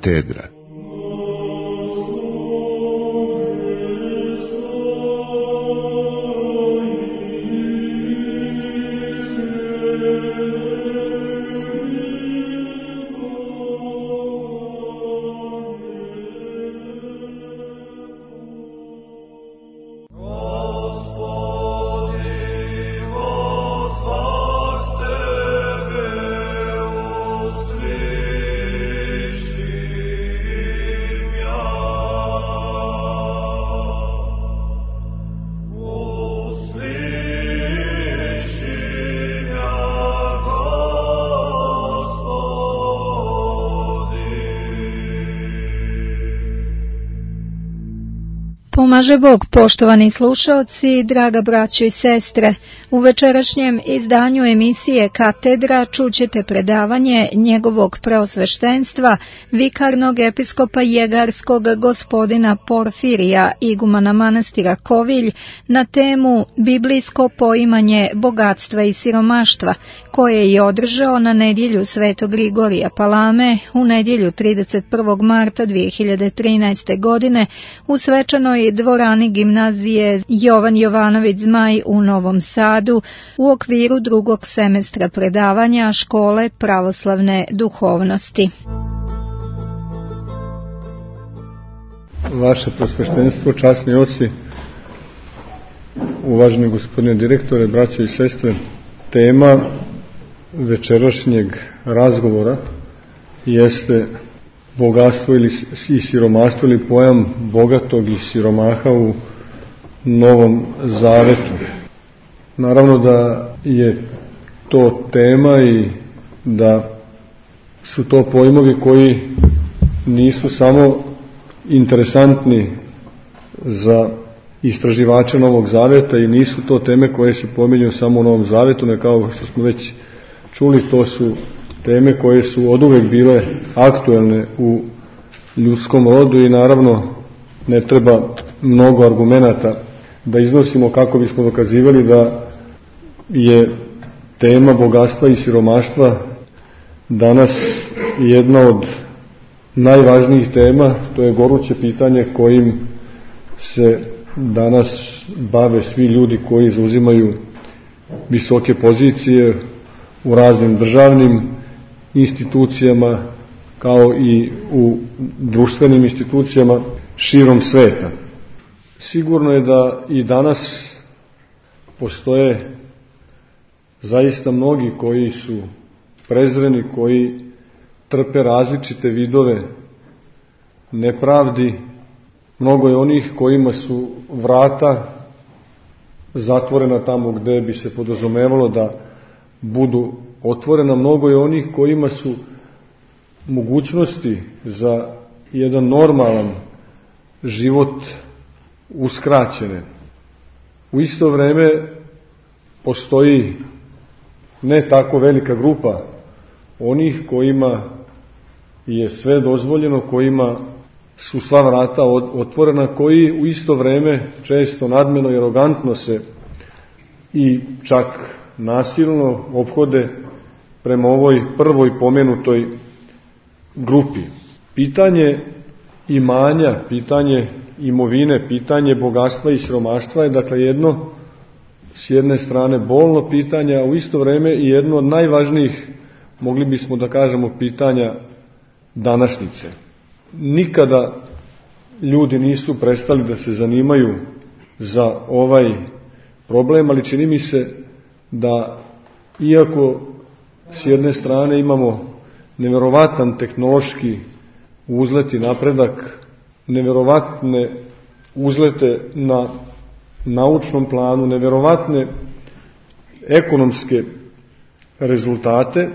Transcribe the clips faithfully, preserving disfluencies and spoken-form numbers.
Katedra. Pomaže Bog, poštovani slušaoci, draga braćo i sestre. U večerašnjem izdanju emisije Katedra čućete predavanje njegovog preosveštenstva, vikarnog episkopa Jegarskog gospodina Porfirija, igumana manastira Kovilj, na temu Biblijsko poimanje bogatstva i siromaštva, koje je održao na nedjelju Svetog Grigorija Palame u nedjelju trideset prvog marta dvije hiljade trinaeste. godine u svečanoj dvorani gimnazije Jovan Jovanović Zmaj u Novom Sadu u okviru drugog semestra predavanja Škole pravoslavne duhovnosti. Vaše prosveštenstvo, časni oci, uvaženi gospodine direktore, braće i sestre, tema večerašnjeg razgovora jeste bogatstvo ili i siromaštvo ili pojam bogatog i siromaha u Novom Zavetu. Naravno da je to tema i da su to pojmovi koji nisu samo interesantni za istraživače Novog Zaveta i nisu to teme koje se pominju samo u Novom Zavetu, ne kao što smo već čuli, to su teme koje su oduvek bile aktuelne u ljudskom rodu i naravno ne treba mnogo argumenata da iznosimo kako bismo dokazivali da je tema bogatstva i siromaštva danas jedna od najvažnijih tema. To je goruće pitanje kojim se danas bave svi ljudi koji zauzimaju visoke pozicije u raznim državnim institucijama kao i u društvenim institucijama širom sveta. Sigurno je da i danas postoje zaista mnogi koji su prezreni, koji trpe različite vidove nepravdi. Mnogo je onih kojima su vrata zatvorena tamo gde bi se podrazumevalo da budu otvorena. Mnogo je onih kojima su mogućnosti za jedan normalan život uskraćene. U isto vreme postoji ne tako velika grupa onih kojima je sve dozvoljeno, kojima su sva vrata otvorena, koji u isto vreme često nadmeno i arogantno se i čak nasilno ophode prema ovoj prvoj pomenutoj grupi. Pitanje imanja, pitanje imovine, pitanje bogatstva i siromaštva je dakle jedno s jedne strane bolno pitanje, a u isto vreme i jedno od najvažnijih, mogli bismo da kažemo, pitanja današnjice. Nikada ljudi nisu prestali da se zanimaju za ovaj problem, ali čini mi se da iako s jedne strane imamo neverovatan tehnološki uzlet i napredak, neverovatne uzlete na naučnom planu, neverovatne ekonomske rezultate,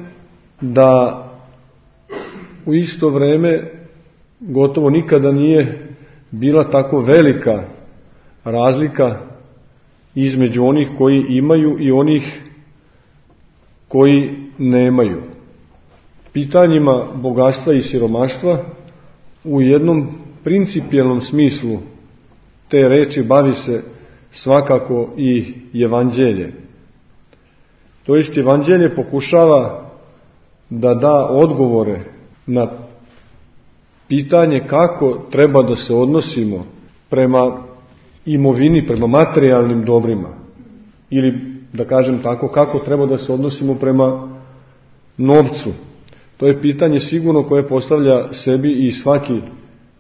da u isto vreme gotovo nikada nije bila tako velika razlika između onih koji imaju i onih koji nemaju. Pitanjima bogatstva i siromaštva u jednom principijelnom smislu te reči bavi se svakako i evanđelje. To jest evanđelje pokušava da da odgovore na pitanje kako treba da se odnosimo prema imovini, prema materijalnim dobrima, ili da kažem tako, kako treba da se odnosimo prema novcu. To je pitanje sigurno koje postavlja sebi i svaki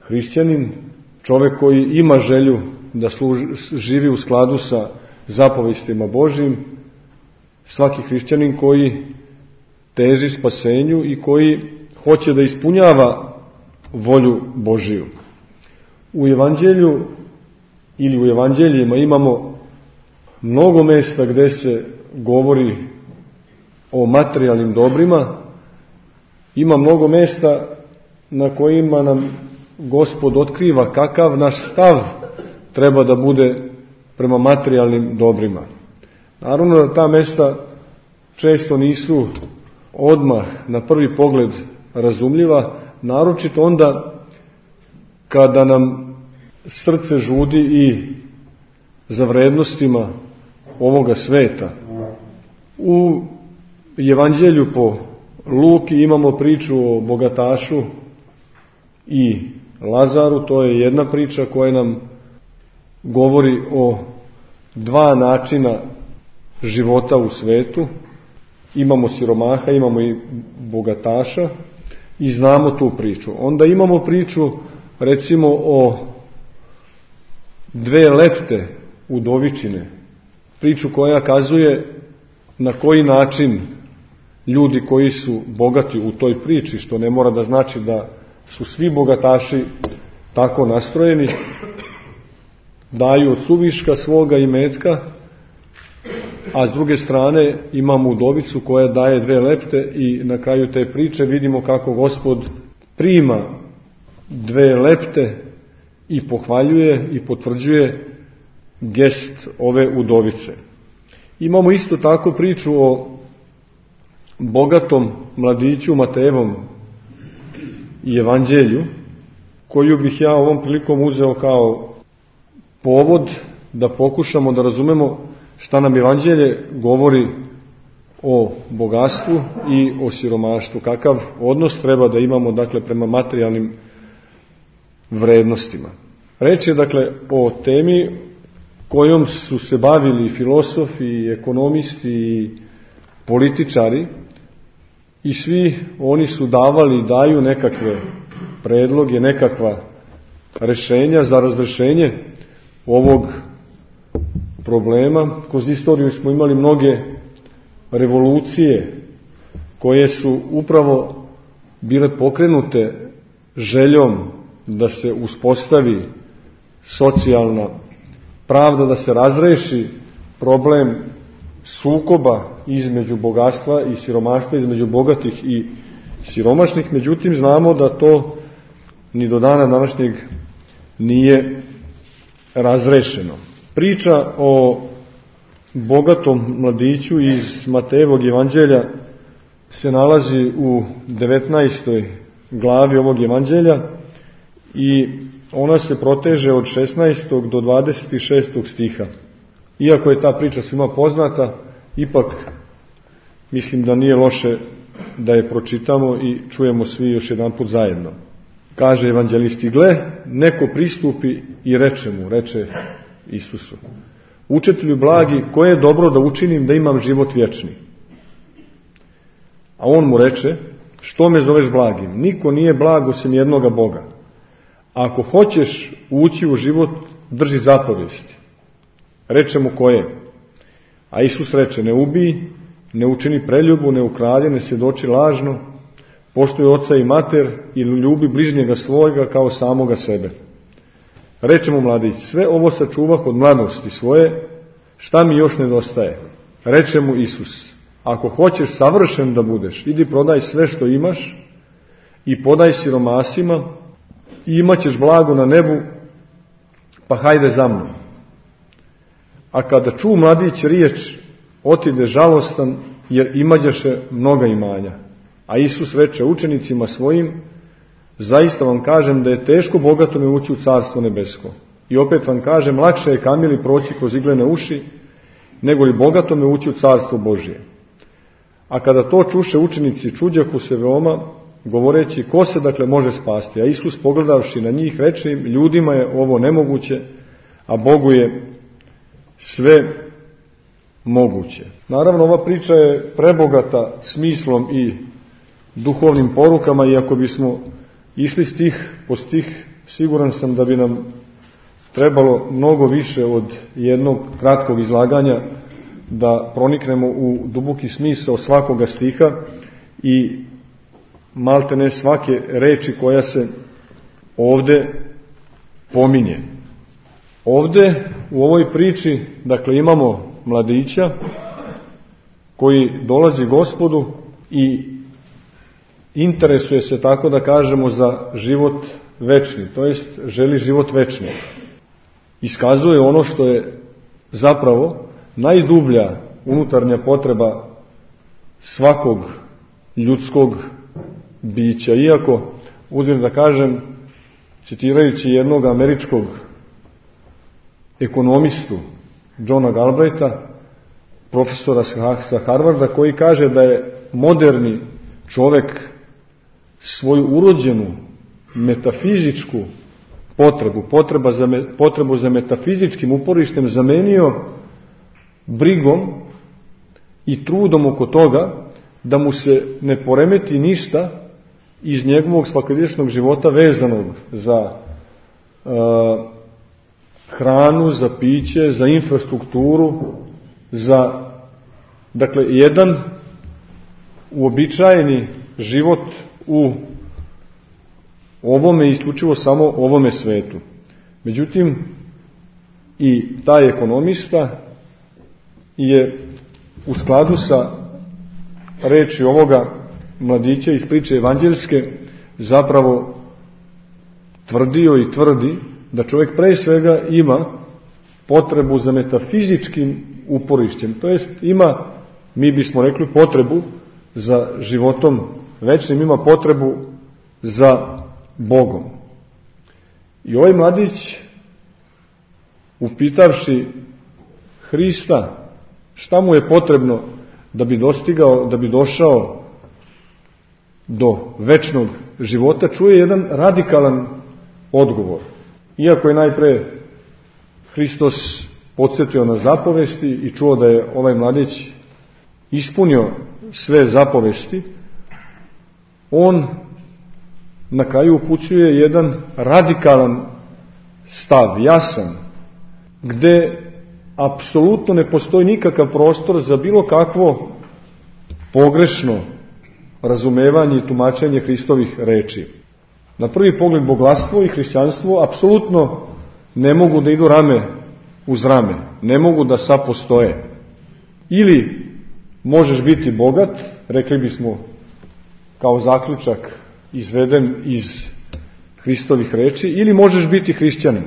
hrišćanin, čovjek koji ima želju da služi, živi u skladu sa zapovestima Božjim, svaki hrišćanin koji teži spasenju i koji hoće da ispunjava volju Božiju. U evanđelju ili u evanđeljima imamo mnogo mesta gdje se govori o materijalnim dobrima, ima mnogo mesta na kojima nam Gospod otkriva kakav naš stav treba da bude prema materijalnim dobrima. Naravno da ta mesta često nisu odmah na prvi pogled razumljiva, naročito onda kada nam srce žudi i za vrednostima ovoga sveta. U evanđelju po Luki imamo priču o bogatašu i Lazaru, to je jedna priča koja nam govori o dva načina života u svetu. Imamo siromaha, imamo i bogataša i znamo tu priču. Onda imamo priču recimo o dve lepte udovičine, priču koja kazuje na koji način ljudi koji su bogati u toj priči, što ne mora da znači da su svi bogataši tako nastrojeni, daju od suviška svoga imetka, a s druge strane imamo udovicu koja daje dve lepte i na kraju te priče vidimo kako Gospod prima dve lepte i pohvaljuje i potvrđuje gest ove udovice. Imamo isto tako priču o bogatom mladiću Matejevom i evanđelju, koju bih ja ovom prilikom uzeo kao povod da pokušamo da razumemo šta nam evanđelje govori o bogatstvu i o siromaštvu, kakav odnos treba da imamo dakle prema materijalnim vrednostima. Reč je dakle o temi kojom su se bavili filosofi, i ekonomisti i političari i svi oni su davali i daju nekakve predloge, nekakva rešenja za razrešenje ovog problema. Kroz istoriju smo imali mnoge revolucije koje su upravo bile pokrenute željom da se uspostavi socijalna pravda, da se razreši problem sukoba između bogatstva i siromaštva, između bogatih i siromašnih. Međutim, znamo da to ni do dana današnjeg nije razrešeno. Priča o bogatom mladiću iz Matejevog evanđelja se nalazi u devetnaestoj glavi ovog evanđelja i ona se proteže od šesnaestog do dvadeset šestog stiha. Iako je ta priča svima poznata, ipak mislim da nije loše da je pročitamo i čujemo svi još jedan put zajedno. Kaže evanđelisti: gle, neko pristupi i reče mu, reče Isusu: učitelju blagi, koje je dobro da učinim da imam život vječni? A on mu reče: što me zoveš blagim? Niko nije blag osim jednoga Boga. Ako hoćeš ući u život, drži zapovesti. Reče mu: koje? A Isus reče: ne ubij, ne učini preljubu, ne ukradi, ne svjedoči lažno, poštuj oca i mater i ljubi bližnjega svojega kao samoga sebe. Reče mu mladić: sve ovo sačuvah od mladosti svoje, šta mi još nedostaje? Reče mu Isus: ako hoćeš savršen da budeš, idi prodaj sve što imaš i podaj siromasima i imat ćeš blago na nebu, pa hajde za mnom. A kada ču mladić riječ, otide žalostan, jer imađaše mnoga imanja. A Isus reče učenicima svojim: zaista vam kažem da je teško bogatome ući u carstvo nebesko. I opet vam kažem, lakše je kamili proći kroz iglene uši, nego li bogatome ući u carstvo Božije. A kada to čuše učenici, čuđahu se veoma govoreći ko se dakle može spasti. A Isus pogledavši na njih reče im, ljudima je ovo nemoguće, a Bogu je sve moguće. Naravno, ova priča je prebogata smislom i duhovnim porukama i ako bismo išli stih po stih, siguran sam da bi nam trebalo mnogo više od jednog kratkog izlaganja da proniknemo u duboki smisao svakoga stiha i malte ne svake reči koja se ovde pominje. Ovde u ovoj priči, dakle, imamo mladića koji dolazi Gospodu i interesuje se, tako da kažemo, za život večni, to jest želi život večni. Iskazuje ono što je zapravo najdublja unutarnja potreba svakog ljudskog bića. Iako, uzmem da kažem, citirajući jednog američkog ekonomistu, Johna Galbraitha, profesora sa Harvarda, koji kaže da je moderni čovek svoju urođenu metafizičku potrebu, potreba za me, potrebu za metafizičkim uporištem zamenio brigom i trudom oko toga da mu se ne poremeti ništa iz njegovog svakodnevnog života vezanog za uh, hranu, za piće, za infrastrukturu, za, dakle, jedan uobičajeni život u ovome, isključivo samo ovome svetu. Međutim, i taj ekonomista je u skladu sa reči ovoga mladića iz priče evanđeljske zapravo tvrdio i tvrdi da čovjek pre svega ima potrebu za metafizičkim uporišćem, to jest ima, mi bismo rekli, potrebu za životom večnim, ima potrebu za Bogom. I ovaj mladić, upitavši Hrista šta mu je potrebno da bi dostigao, da bi došao do večnog života, čuje jedan radikalan odgovor. Iako je najpre Hristos podsjetio na zapovesti i čuo da je ovaj mladić ispunio sve zapovesti, on na kraju upućuje jedan radikalan stav, jasan, gde apsolutno ne postoji nikakav prostor za bilo kakvo pogrešno razumevanje i tumačenje Hristovih reči. Na prvi pogled boglastvo i hrišćanstvo apsolutno ne mogu da idu rame uz rame, ne mogu da sapostoje. Ili možeš biti bogat, rekli bismo kao zaključak izveden iz Hristovih reči, ili možeš biti hrišćanin.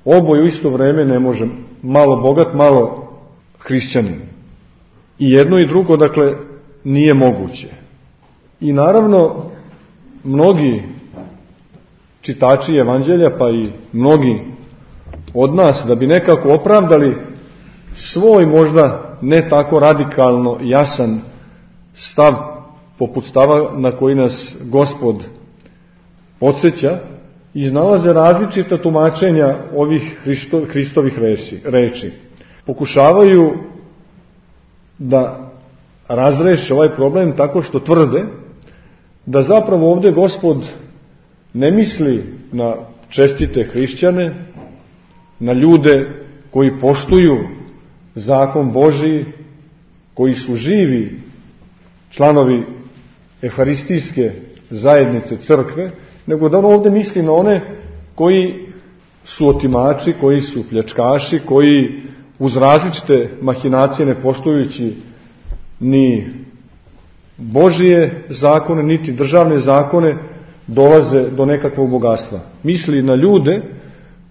Oboje u isto vreme ne može, malo bogat, malo hrišćanin. I jedno i drugo, dakle, nije moguće. I naravno, mnogi čitači evanđelja, pa i mnogi od nas, da bi nekako opravdali svoj možda ne tako radikalno jasan stav, poput stava na koji nas Gospod podsjeća, iznalaze različita tumačenja ovih Hristo, Hristovih reči. Pokušavaju da razreše ovaj problem tako što tvrde da zapravo ovde Gospod ne misli na čestite hrišćane, na ljude koji poštuju zakon Božiji, koji su živi članovi Eharistijske zajednice crkve, nego da on ovde misli na one koji su otimači, koji su pljačkaši, koji uz različite mahinacije, ne poštujući ni Božije zakone, niti državne zakone, dolaze do nekakvog bogatstva. Misli na ljude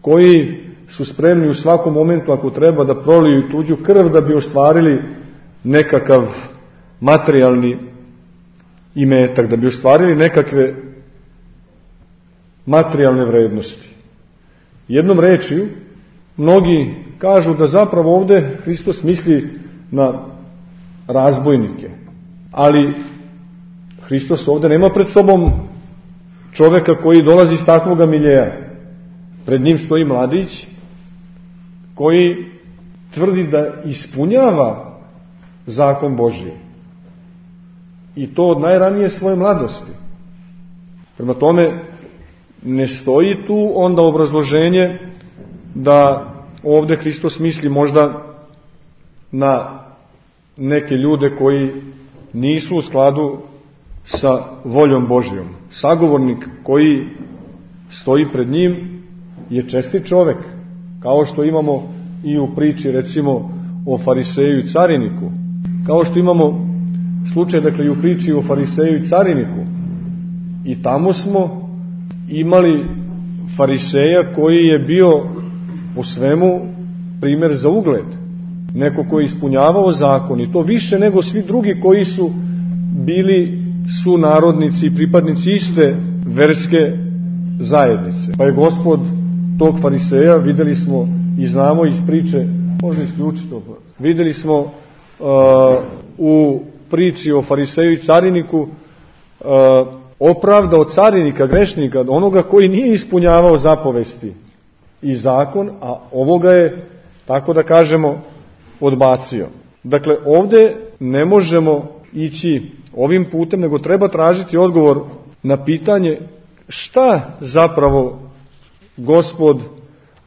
koji su spremni u svakom momentu, ako treba, da proliju tuđu krv da bi ostvarili nekakav materijalni imetak, da bi ostvarili nekakve materijalne vrednosti. Jednom rečju, mnogi kažu da zapravo ovde Hristos misli na razbojnike, ali Hristos ovde nema pred sobom čoveka koji dolazi iz takvoga miljeja. Pred njim stoji mladić koji tvrdi da ispunjava zakon Božji. I to od najranije svoje mladosti. Prema tome, ne stoji tu onda obrazloženje da ovde Hristos misli možda na neke ljude koji nisu u skladu sa voljom Božjom. Sagovornik koji stoji pred njim je čestit čovek, kao što imamo i u priči recimo o fariseju i cariniku, kao što imamo slučaj dakle i u priči o fariseju i cariniku. I tamo smo imali fariseja koji je bio po svemu primjer za ugled, neko koji je ispunjavao zakon i to više nego svi drugi koji su bili sunarodnici i pripadnici iste verske zajednice. Pa je Gospod tog fariseja, videli smo i znamo iz priče, može isključiti to, videli smo uh, u priči o fariseju i cariniku uh, opravdao carinika, grešnika, onoga koji nije ispunjavao zapovesti i zakon, a ovoga je, tako da kažemo, odbacio. Dakle, ovde ne možemo ići ovim putem, nego treba tražiti odgovor na pitanje šta zapravo Gospod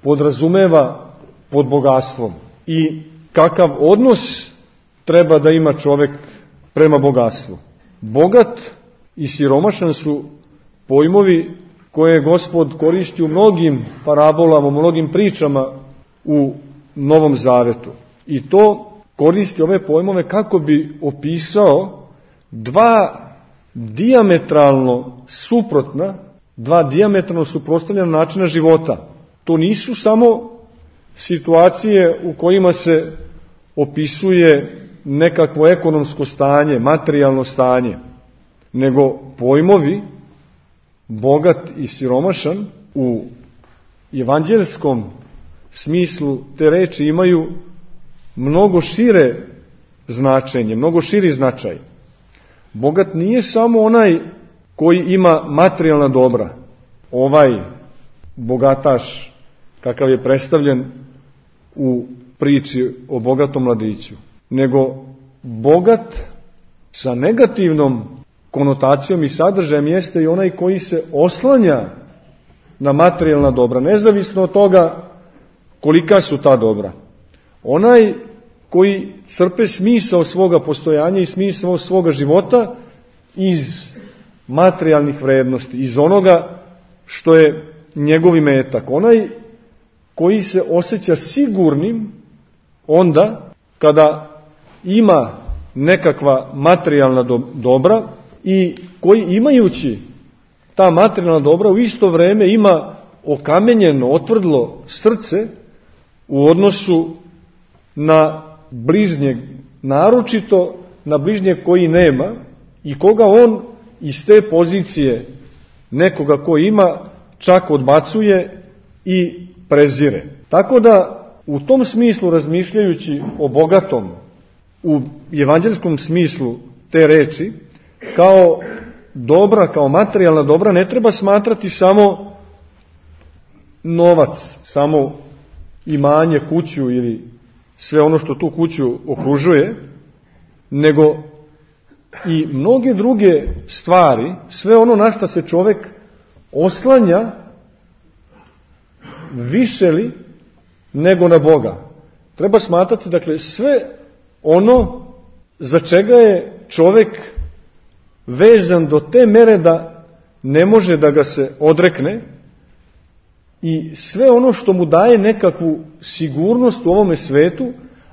podrazumeva pod bogatstvom i kakav odnos treba da ima čovek prema bogatstvu. Bogat i siromašan su pojmovi koje je Gospod koristi u mnogim parabolama, u mnogim pričama u Novom Zavetu. I to koristi ove pojmove kako bi opisao dva dijametralno suprotna, dva dijametralno suprotstavljena načina života. To nisu samo situacije u kojima se opisuje nekakvo ekonomsko stanje, materijalno stanje, nego pojmovi bogat i siromašan u evanđelskom smislu te reči imaju mnogo šire značenje, mnogo širi značaj. Bogat nije samo onaj koji ima materijalna dobra, ovaj bogataš kakav je predstavljen u priči o bogatom mladiću, nego bogat sa negativnom konotacijom i sadržajem jeste i onaj koji se oslanja na materijalna dobra, nezavisno od toga kolika su ta dobra. Onaj koji crpe smisao svoga postojanja i smisao svoga života iz materijalnih vrednosti, iz onoga što je njegov imetak. Onaj koji se osjeća sigurnim onda kada ima nekakva materijalna dobra i koji imajući ta materijalna dobra u isto vreme ima okamenjeno, otvrdlo srce u odnosu na bližnjeg, naročito na bližnjeg koji nema i koga on iz te pozicije nekoga ko ima čak odbacuje i prezire. Tako da u tom smislu, razmišljajući o bogatom u evanđelskom smislu te reči, kao dobra, kao materijalna dobra, ne treba smatrati samo novac, samo imanje, kuću ili sve ono što tu kuću okružuje, nego i mnoge druge stvari, sve ono na što se čovek oslanja više li nego na Boga. Treba smatrati, dakle, sve ono za čega je čovek vezan do te mere da ne može da ga se odrekne i sve ono što mu daje nekakvu sigurnost u ovome svetu,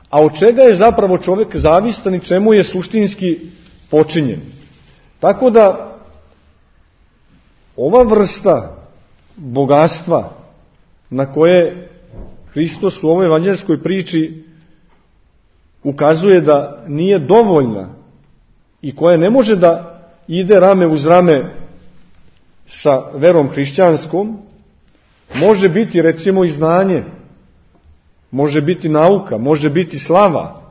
a od čega je zapravo čovek zavistan i čemu je suštinski počinjen. Tako da ova vrsta bogatstva na koje Hristos u ovoj evanđelskoj priči ukazuje da nije dovoljna i koja ne može da ide rame uz rame sa verom hrišćanskom, može biti recimo i znanje, može biti nauka, može biti slava,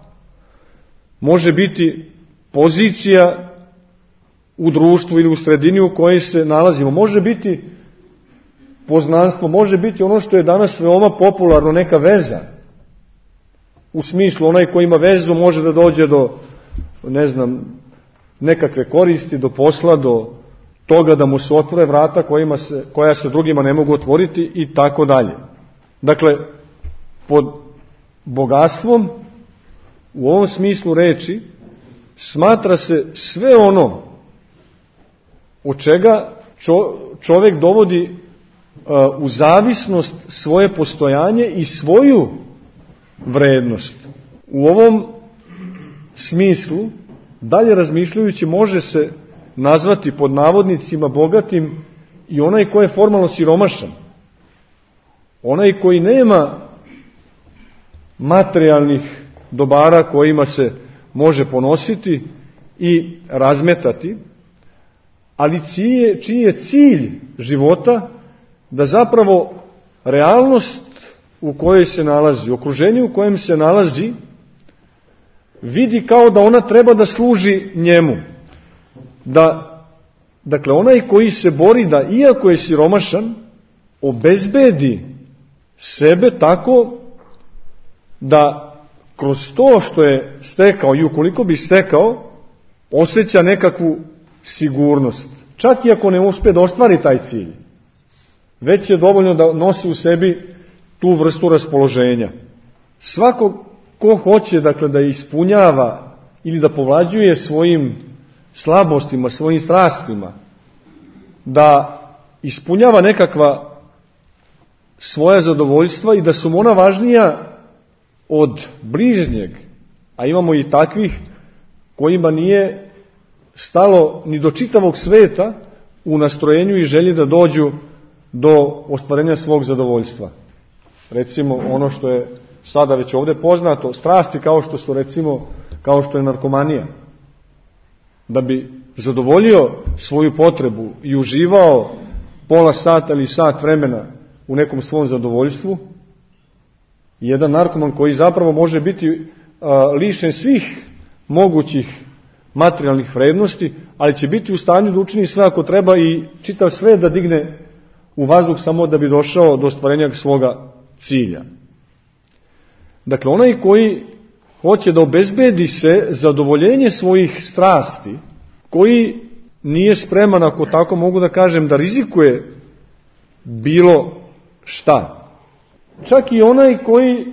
može biti pozicija u društvu ili u sredini u kojoj se nalazimo. Može biti poznanstvo, može biti ono što je danas veoma popularno, neka veza. U smislu, onaj ko ima vezu može da dođe do, ne znam, nekakve koristi, do posla, do toga da mu se otvore vrata kojima se, koja se drugima ne mogu otvoriti i tako dalje. Dakle, pod bogatstvom u ovom smislu reči smatra se sve ono od čega čovjek dovodi uh, u zavisnost svoje postojanje i svoju vrednost. U ovom smislu, dalje razmišljajući, može se nazvati pod navodnicima bogatim i onaj ko je formalno siromašan. Onaj koji nema materijalnih dobara kojima se može ponositi i razmetati, ali čiji, čiji je cilj života da zapravo realnost u kojoj se nalazi, okruženje u kojem se nalazi, vidi kao da ona treba da služi njemu. Da, dakle, onaj koji se bori da, iako je siromašan, obezbedi sebe tako da kroz to što je stekao i ukoliko bi stekao, osjeća nekakvu sigurnost. Čak i ako ne uspe da ostvari taj cilj, već je dovoljno da nosi u sebi tu vrstu raspoloženja. Svako ko hoće, dakle, da ispunjava ili da povlađuje svojim slabostima, svojim strastima, da ispunjava nekakva svoja zadovoljstva i da su mu ona važnija od bližnjeg, a imamo i takvih kojima nije stalo ni do čitavog sveta u nastrojenju i želji da dođu do ostvarenja svog zadovoljstva. Recimo ono što je sada već ovdje poznato, strasti kao što su, recimo, kao što je narkomanija. Da bi zadovoljio svoju potrebu i uživao pola sata ili sat vremena u nekom svom zadovoljstvu, jedan narkoman koji zapravo može biti a, lišen svih mogućih materijalnih vrednosti, ali će biti u stanju da učini sve ako treba i čitav sve da digne u vazduh samo da bi došao do ostvarenja svoga cilja. Dakle, onaj koji hoće da obezbedi se zadovoljenje svojih strasti, koji nije spreman, ako tako mogu da kažem, da rizikuje bilo šta. Čak i onaj koji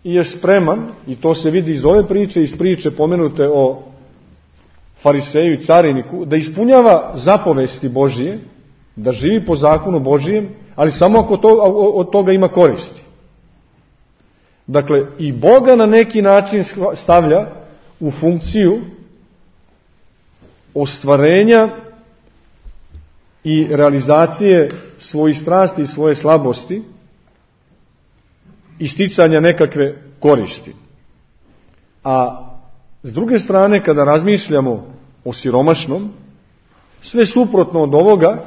je spreman, i to se vidi iz ove priče, iz priče pomenute o fariseju i cariniku, da ispunjava zapovesti Božije, da živi po zakonu Božijem, ali samo ako to, od toga ima koristi. Dakle, i Boga na neki način stavlja u funkciju ostvarenja i realizacije svojih strasti i svoje slabosti i sticanja nekakve koristi. A s druge strane, kada razmišljamo o siromašnom, sve suprotno od ovoga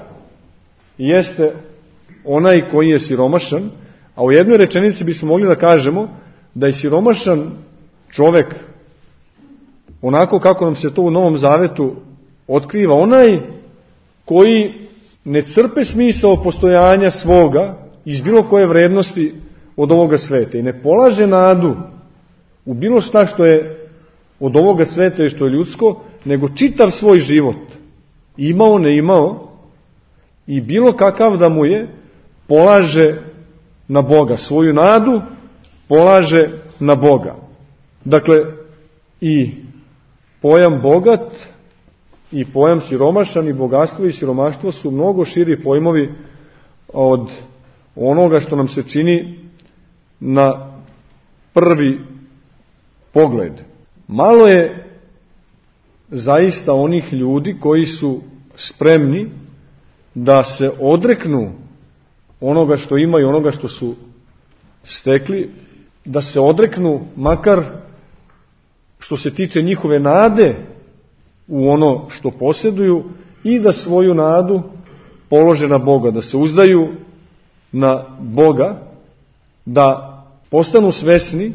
jeste onaj koji je siromašan, a u jednoj rečenici bismo mogli da kažemo da je siromašan čovek, onako kako nam se to u Novom Zavetu otkriva, onaj koji ne crpe smisao postojanja svoga iz bilo koje vrednosti od ovoga sveta i ne polaže nadu u bilo šta što je od ovoga sveta i što je ljudsko, nego čitav svoj život, imao, ne imao, i bilo kakav da mu je, polaže na Boga. Svoju nadu polaže na Boga. Dakle, i pojam bogat i pojam siromašan i bogatstvo i siromaštvo su mnogo širi pojmovi od onoga što nam se čini na prvi pogled. Malo je zaista onih ljudi koji su spremni da se odreknu onoga što imaju, onoga što su stekli, da se odreknu makar što se tiče njihove nade u ono što posjeduju i da svoju nadu polože na Boga, da se uzdaju na Boga, da postanu svesni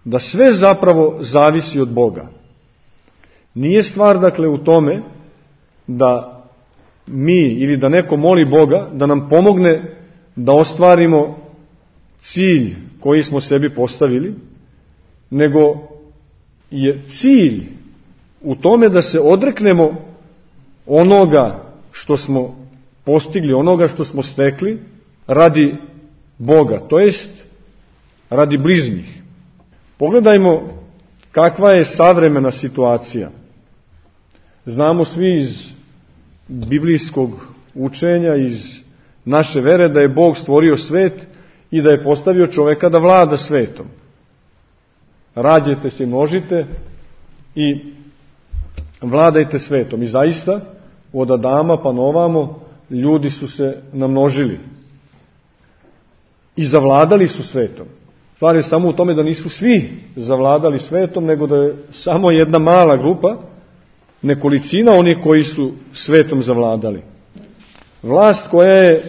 da sve zapravo zavisi od Boga. Nije stvar, dakle, u tome da mi ili da neko moli Boga da nam pomogne da ostvarimo cilj koji smo sebi postavili, nego je cilj u tome da se odreknemo onoga što smo postigli, onoga što smo stekli radi Boga, to jest radi bližnjih. Pogledajmo kakva je savremena situacija. Znamo svi iz biblijskog učenja, iz naše vere, da je Bog stvorio svet i da je postavio čoveka da vlada svetom. Rađajte se i množite i vladajte svetom. I zaista, od Adama pa novamo, ljudi su se namnožili i zavladali su svetom. Stvar je samo u tome da nisu svi zavladali svetom, nego da je samo jedna mala grupa, nekolicina onih koji su svetom zavladali. Vlast koja je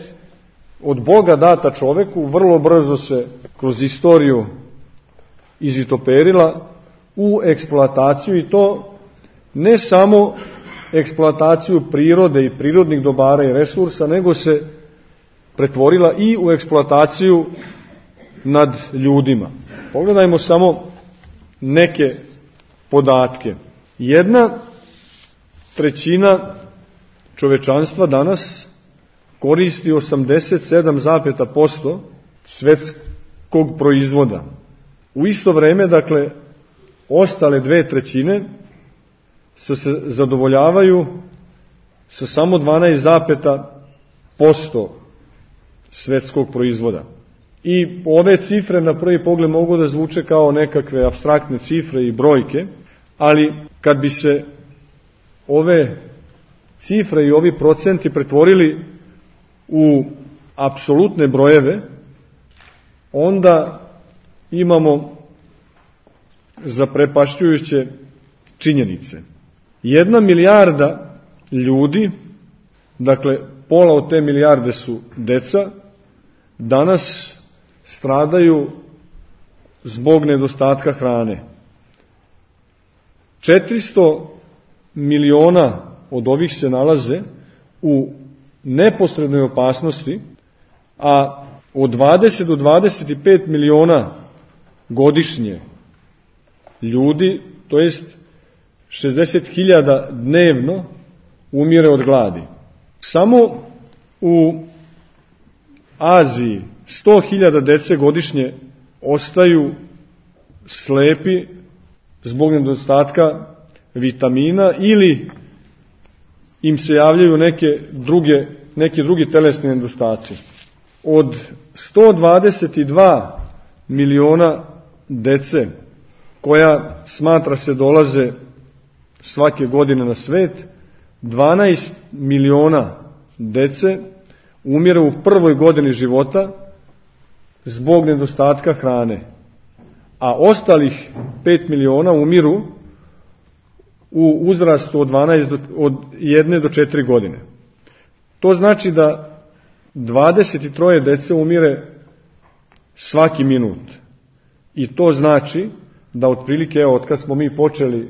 od Boga data čoveku vrlo brzo se kroz istoriju izvitoperila u eksploataciju, i to ne samo eksploataciju prirode i prirodnih dobara i resursa, nego se pretvorila i u eksploataciju nad ljudima. Pogledajmo samo neke podatke. Jedna trećina čovečanstva danas koristi osamdeset sedam zarez pet posto svetskog proizvoda. U isto vreme, dakle, ostale dve trećine se zadovoljavaju sa samo dvanaest zarez pet posto svetskog proizvoda. I ove cifre na prvi pogled mogu da zvuče kao nekakve apstraktne cifre i brojke, ali kad bi se ove cifre i ovi procenti pretvorili u apsolutne brojeve, onda imamo zaprepašćujuće činjenice. Jedna milijarda ljudi, dakle pola od te milijarde su deca, danas stradaju zbog nedostatka hrane. četiristo miliona od ovih se nalaze u neposrednoj opasnosti, a od dvadeset do dvadeset pet miliona godišnje ljudi, to jest šezdeset hiljada dnevno, umire od gladi. Samo u Aziji sto hiljada dece godišnje ostaju slepi zbog nedostatka vitamina ili im se javljaju neke druge, neki drugi telesni nedostaci. Od sto dvadeset dva miliona dece koja smatra se dolaze svake godine na svet, dvanaest miliona dece umire u prvoj godini života zbog nedostatka hrane, a ostalih pet miliona umiru u uzrastu od, dvanaest do, od jedne do četiri godine. To znači da dvadeset troje dece umire svaki minut. I to znači da otprilike, evo, od kad smo mi počeli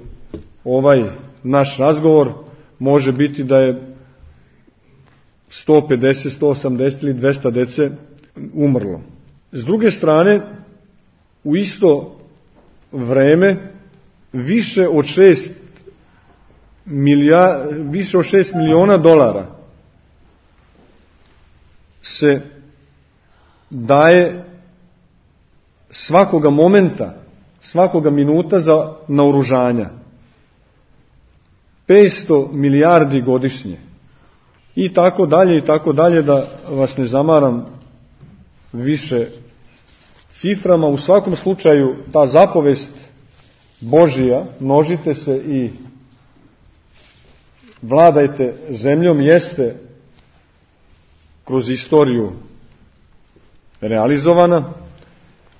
ovaj naš razgovor, može biti da je sto pedeset, sto osamdeset ili dvesta dece umrlo. S druge strane, u isto vreme više od šest milija, više od šest miliona dolara se daje svakoga momenta, svakoga minuta za naoružanja. petsto milijardi godišnje. I tako dalje, i tako dalje, da vas ne zamaram više ciframa. U svakom slučaju, ta zapovest Božija, množite se i vladajte zemljom, jeste kroz istoriju realizovana,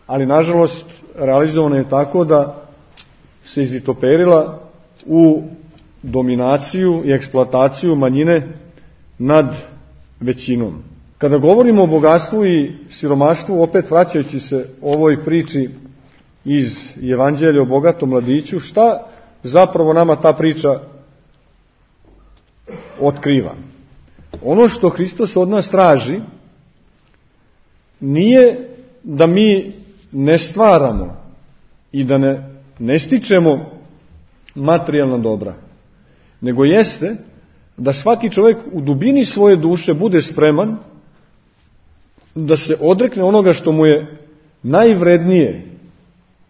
ali nažalost realizovana je tako da se izvitoperila u dominaciju i eksploataciju manjine nad većinom. Kada govorimo o bogatstvu i siromaštvu, opet vraćajući se ovoj priči iz Evanđelja o bogatom mladiću, šta zapravo nama ta priča otkriva. Ono što Hristos od nas traži nije da mi ne stvaramo i da ne, ne stičemo materijalna dobra, nego jeste da svaki čovjek u dubini svoje duše bude spreman da se odrekne onoga što mu je najvrednije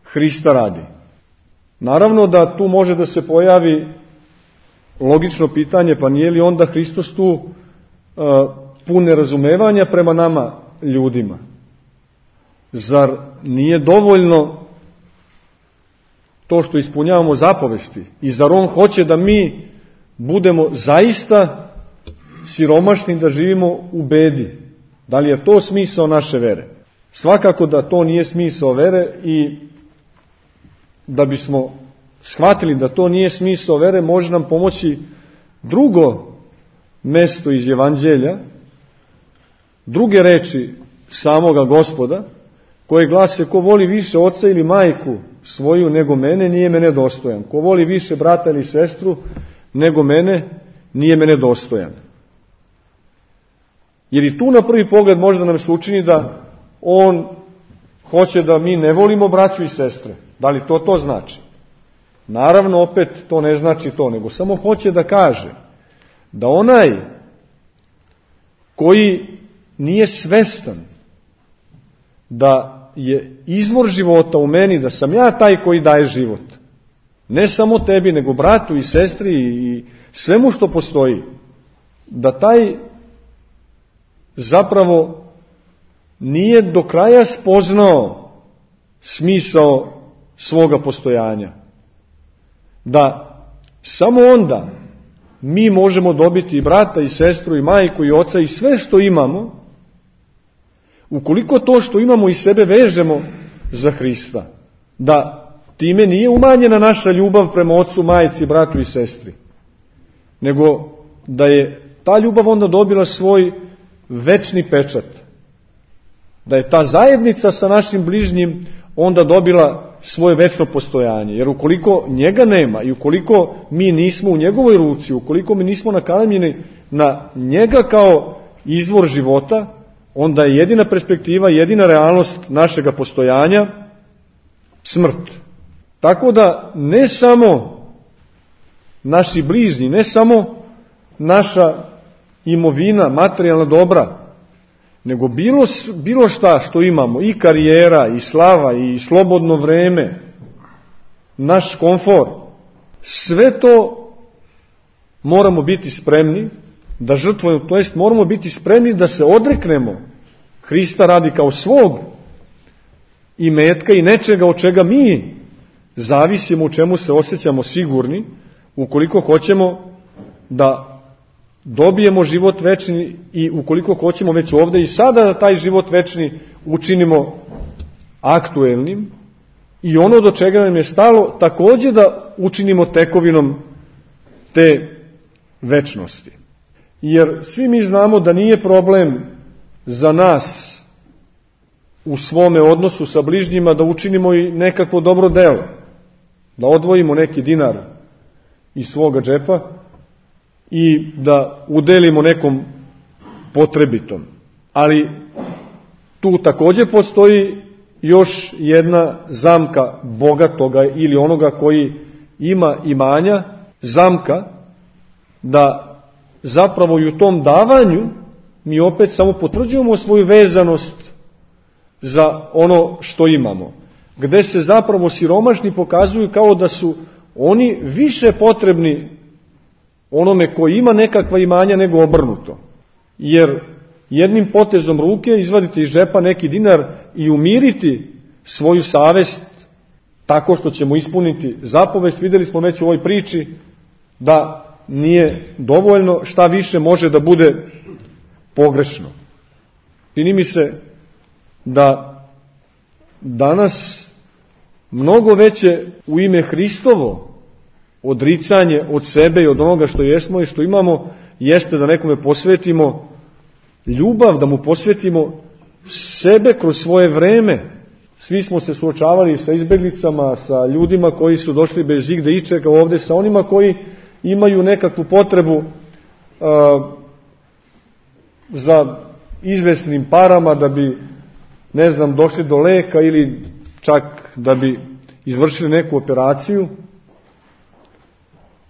Hrista radi. Naravno da tu može da se pojavi logično pitanje, pa nije li onda Hristos tu uh, pun nerazumevanja prema nama ljudima? Zar nije dovoljno to što ispunjavamo zapovesti? I zar on hoće da mi budemo zaista siromašni, da živimo u bedi? Da li je to smisao naše vere? Svakako da to nije smisao vere, i da bismo shvatili da to nije smisao vere, može nam pomoći drugo mesto iz Evanđelja, druge reči samoga Gospoda, koje glase: ko voli više oca ili majku svoju nego mene, nije mene dostojan. Ko voli više brata ili sestru nego mene, nije mene dostojan. Jer i tu na prvi pogled možda nam se učini da on hoće da mi ne volimo braću i sestre. Da li to to znači? Naravno, opet to ne znači to, nego samo hoće da kaže da onaj koji nije svestan da je izvor života u meni, da sam ja taj koji daje život, ne samo tebi, nego bratu i sestri i svemu što postoji, da taj zapravo nije do kraja spoznao smisao svoga postojanja. Da samo onda mi možemo dobiti i brata i sestru i majku i oca i sve što imamo, ukoliko to što imamo i sebe vežemo za Hrista. Da time nije umanjena naša ljubav prema ocu, majci, bratu i sestri, nego da je ta ljubav onda dobila svoj večni pečat. Da je ta zajednica sa našim bližnjim onda dobila svoje večno postojanje. Jer ukoliko njega nema i ukoliko mi nismo u njegovoj ruci, ukoliko mi nismo nakalemljeni na njega kao izvor života, onda je jedina perspektiva, jedina realnost našega postojanja smrt. Tako da ne samo naši bližnji, ne samo naša imovina, materijalna dobra, nego bilo, bilo šta što imamo, i karijera, i slava, i slobodno vreme, naš komfor, sve to moramo biti spremni da žrtvujemo, to jest moramo biti spremni da se odreknemo Hrista radi kao svog imetka i nečega od čega mi zavisimo, u čemu se osjećamo sigurni, ukoliko hoćemo da dobijemo život večni i ukoliko hoćemo već ovde i sada da taj život večni učinimo aktuelnim i ono do čega nam je stalo takođe da učinimo tekovinom te večnosti. Jer svi mi znamo da nije problem za nas u svome odnosu sa bližnjima da učinimo i nekakvo dobro delo, da odvojimo neki dinar iz svoga džepa i da udelimo nekom potrebitom. Ali tu takođe postoji još jedna zamka bogatoga ili onoga koji ima imanja, zamka da zapravo i u tom davanju mi opet samo potvrđujemo svoju vezanost za ono što imamo, gde se zapravo siromašni pokazuju kao da su oni više potrebni onome koji ima nekakva imanja nego obrnuto. Jer jednim potezom ruke izvaditi iz džepa neki dinar i umiriti svoju savest tako što ćemo ispuniti zapovest, videli smo već u ovoj priči da nije dovoljno, šta više može da bude pogrešno. Čini mi se da danas mnogo veće u ime Hristovo odricanje od sebe i od onoga što jesmo i što imamo jeste da nekome posvetimo ljubav, da mu posvetimo sebe kroz svoje vreme. Svi smo se suočavali sa izbeglicama, sa ljudima koji su došli bez igde ičega ovde, sa onima koji imaju nekakvu potrebu a, za izvesnim parama da bi, ne znam, došli do leka ili čak da bi izvršili neku operaciju.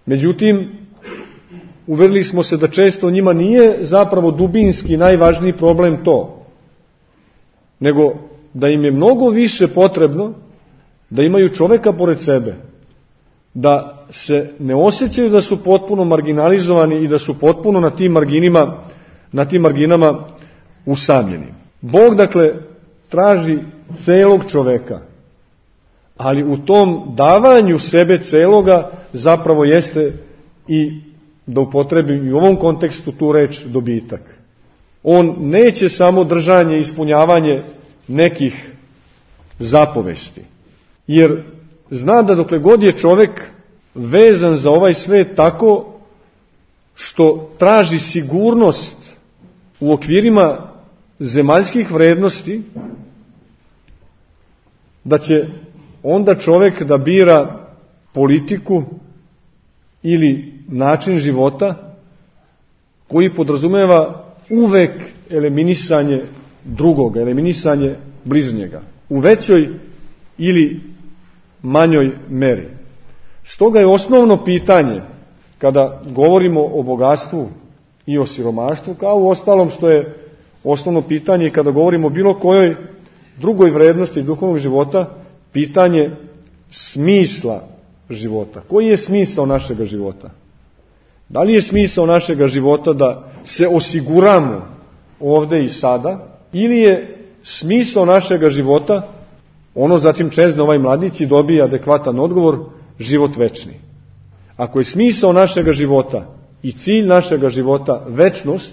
Međutim, uverili smo se da često njima nije zapravo dubinski najvažniji problem to, nego da im je mnogo više potrebno da imaju čoveka pored sebe, da se ne osjećaju da su potpuno marginalizovani i da su potpuno na tim marginima, na tim marginama usamljeni. Bog, dakle, traži celog čoveka, ali u tom davanju sebe celoga zapravo jeste i, da upotrebim i u ovom kontekstu tu reč, dobitak. On neće samo držanje i ispunjavanje nekih zapovesti, jer zna da dokle god je čovek vezan za ovaj svet tako što traži sigurnost u okvirima zemaljskih vrednosti, da će onda čovek da bira politiku ili način života koji podrazumeva uvek eliminisanje drugoga, eliminisanje bližnjega, u većoj ili manjoj meri. Stoga je osnovno pitanje, kada govorimo o bogatstvu i o siromaštvu, kao u ostalom što je osnovno pitanje kada govorimo o bilo kojoj drugoj vrednosti duhovnog života, pitanje smisla života. Koji je smisao našega života? Da li je smisao našega života da se osiguramo ovde i sada, ili je smisao našega života, ono zatim čezne ovaj mladić i dobije adekvatan odgovor, život večni. Ako je smisao našega života i cilj našega života večnost,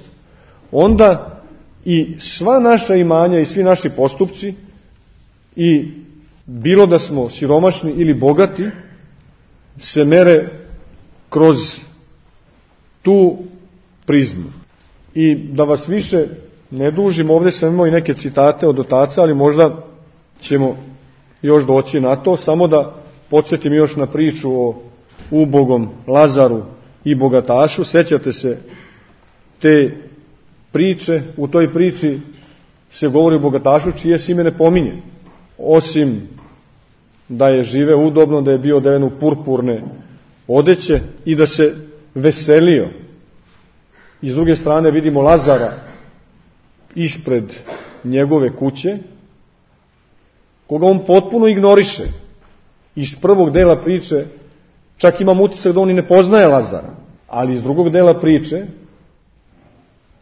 onda i sva naša imanja i svi naši postupci, i bilo da smo siromašni ili bogati, se mere kroz tu prizmu. I da vas više ne dužim, ovdje sam imao i neke citate od otaca, ali možda ćemo još doći na to, samo da podsjetim još na priču o ubogom Lazaru i bogatašu. Sećate se te priče? U toj priči se govori o bogatašu čije se ime ne pominje, osim da je živeo udobno, da je bio odeven u purpurne odeće i da se veselio. I s druge strane vidimo Lazara ispred njegove kuće, koga on potpuno ignoriše. Iz prvog dela priče čak imam utisak da on i ne poznaje Lazara, ali iz drugog dela priče,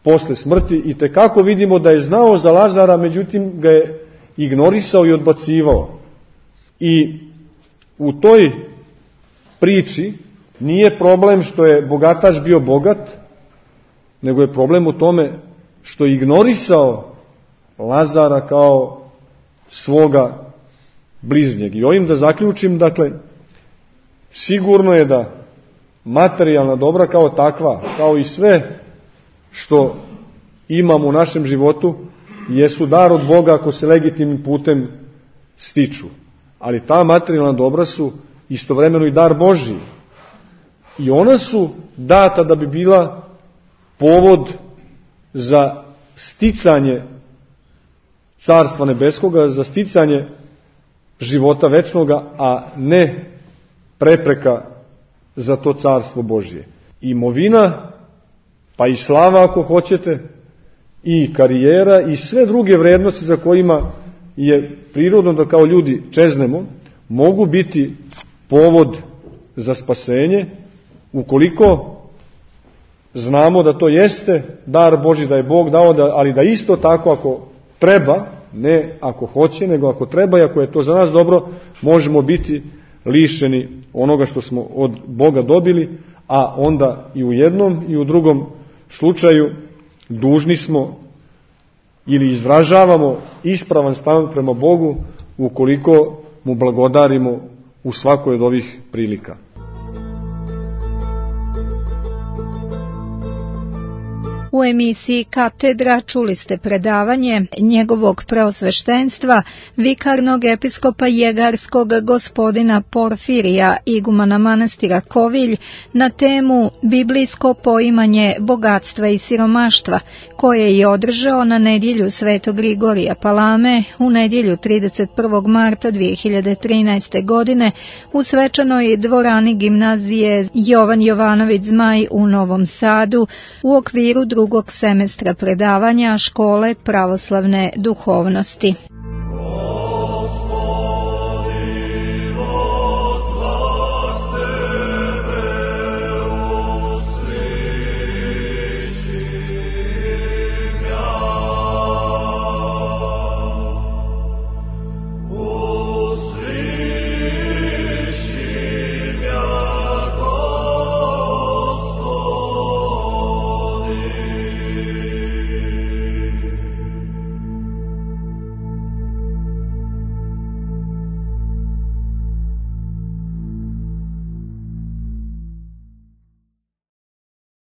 posle smrti, i tekako vidimo da je znao za Lazara, međutim ga je ignorisao i odbacivao. I u toj priči nije problem što je bogataš bio bogat, nego je problem u tome što je ignorisao Lazara kao svoga bližnjeg. I ovim da zaključim, dakle, sigurno je da materijalna dobra kao takva, kao i sve što imamo u našem životu, jesu dar od Boga ako se legitimnim putem stiču. Ali ta materijalna dobra su istovremeno i dar Božiji. I ona su data da bi bila povod za sticanje Carstva nebeskoga, za sticanje života večnoga, a ne prepreka za to Carstvo Božije. Imovina, pa i slava ako hoćete, i karijera i sve druge vrednosti za kojima je prirodno da kao ljudi čeznemo, mogu biti povod za spasenje ukoliko znamo da to jeste dar Božji, da je Bog dao, da, ali da isto tako ako treba, ne ako hoće, nego ako treba i ako je to za nas dobro, možemo biti lišeni onoga što smo od Boga dobili, a onda i u jednom i u drugom slučaju dužni smo ili izražavamo ispravan stav prema Bogu ukoliko mu blagodarimo u svakoj od ovih prilika. U emisiji Katedra čuli ste predavanje njegovog preosveštenstva, vikarnog episkopa Jegarskog gospodina Porfirija, igumana manastira Kovilj, na temu Biblijsko poimanje bogatstva i siromaštva, koje je održao na nedjelju Svetog Grigorija Palame u nedjelju trideset prvog marta dvije hiljade trinaeste. godine u svečanoj dvorani gimnazije Jovan Jovanović Zmaj u Novom Sadu u okviru drugog semestra predavanja Škole pravoslavne duhovnosti.